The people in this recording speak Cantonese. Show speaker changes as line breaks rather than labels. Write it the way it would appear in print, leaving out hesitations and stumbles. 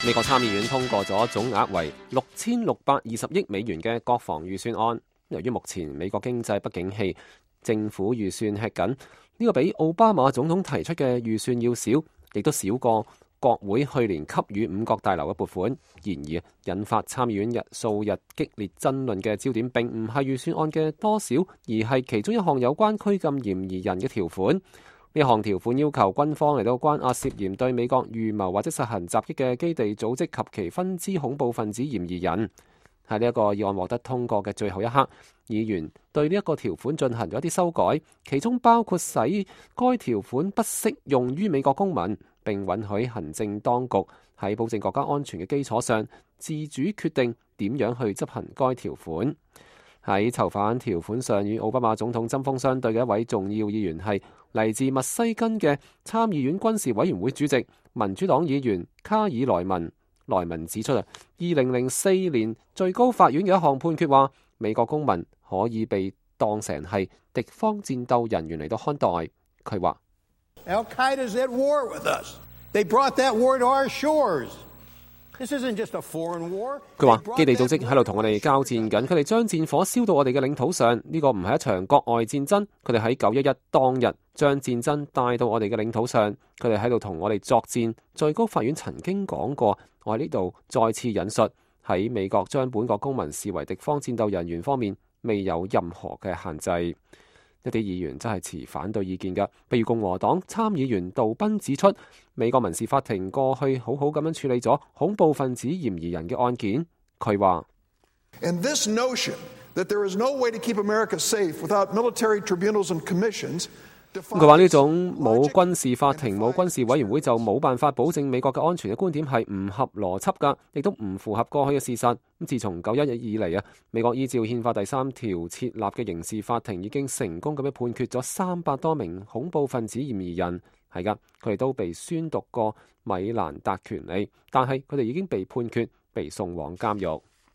美國參議院通過咗總額為6620億美元嘅國防預算案。由於目前美國經濟不景氣，政府預算吃緊，呢個比奧巴馬總統提出嘅預算要少，亦都少過國會去年給予五角大樓嘅撥款。然而，引發參議院數日激烈爭論嘅焦點並唔係預算案嘅多少，而係其中一項有關拘禁嫌疑人嘅條款。呢項條款要求軍方嚟到關押涉嫌對美國預謀或者實行襲擊嘅基地組織及其分支恐怖分子嫌疑人。喺呢一個議案獲得通過嘅最後一刻，議員對呢一個條款進行咗一啲修改，其中包括使該條款不適用於美國公民，並允許行政當局喺保證國家安全嘅基礎上，自主決定點樣去執行該條款。喺囚犯條款上與奧巴馬總統針鋒相對嘅一位重要議員係嚟自密西根嘅參議院軍事委員會主席民主黨議員卡爾萊文。萊文指出2004年最高法院嘅一項判決話，美國公民可以被當成係敵方戰鬥人員嚟到看待。佢話
Al-Qaeda's at war with us. They brought that war to our shores. This isn't just a foreign war.
佢話基地組織喺度同我哋交戰緊，佢哋將戰火燒到我哋嘅領土上，呢個唔係一場國外戰爭。佢哋喺911當日將戰爭帶到我哋嘅領土上，佢哋喺度同我哋作戰。最高法院曾經講過，我喺呢度再次引述，喺美國將本國公民視為敵方戰鬥人員方面，未有任何嘅限制。一啲議員真係持反對意見㗎，譬如共和黨參議員杜賓指出，美國民事法庭過去好好咁樣處理咗恐怖分子嫌疑人嘅案件。佢話
And this notion that there is no way to keep America safe without military tribunals and commissions。
佢話呢種冇軍事法庭、冇軍事委員會就冇辦法保證美國嘅安全嘅觀點係唔合邏輯㗎，亦都唔符合過去嘅事實。咁自從911以嚟啊，美國依照憲法第3條設立嘅刑事法庭已經成功咁樣判決咗300多名恐怖分子嫌疑人。係㗎，佢哋都被宣讀過米蘭達權利，但係佢哋已經被判決被送往監獄。